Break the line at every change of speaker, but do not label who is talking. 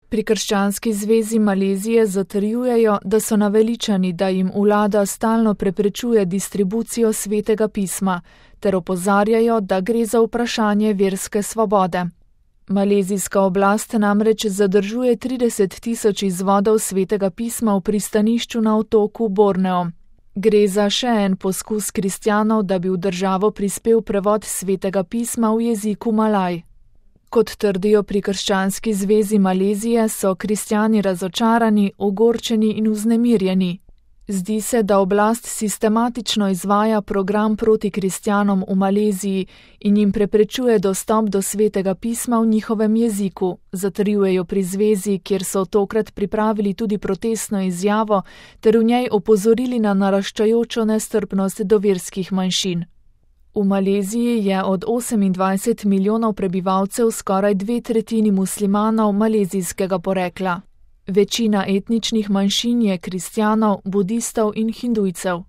Pri Krščanski zvezi Malezije zatrjujejo, da so naveličani, da jim vlada stalno preprečuje distribucijo svetega pisma, ter opozarjajo, da gre za vprašanje verske svobode. Malezijska oblast namreč zadržuje 30.000 izvodov svetega pisma v pristanišču na otoku Borneo. Gre za še en poskus kristjanov, da bi v državo prispel prevod svetega pisma v jeziku Malaj. Kot trdijo pri Krščanski zvezi Malezije, so kristjani razočarani, ogorčeni in vznemirjeni. Zdi se, da oblast sistematično izvaja program proti kristjanom v Maleziji in jim preprečuje dostop do svetega pisma v njihovem jeziku, zatrjujejo pri zvezi, kjer so tokrat pripravili tudi protestno izjavo ter v njej opozorili na naraščajočo nestrpnost do verskih manjšin. V Maleziji je od 28 milijonov prebivalcev skoraj 2/3 muslimanov malezijskega porekla. Večina etničnih manjšin je kristjanov, budistov in hindujcev.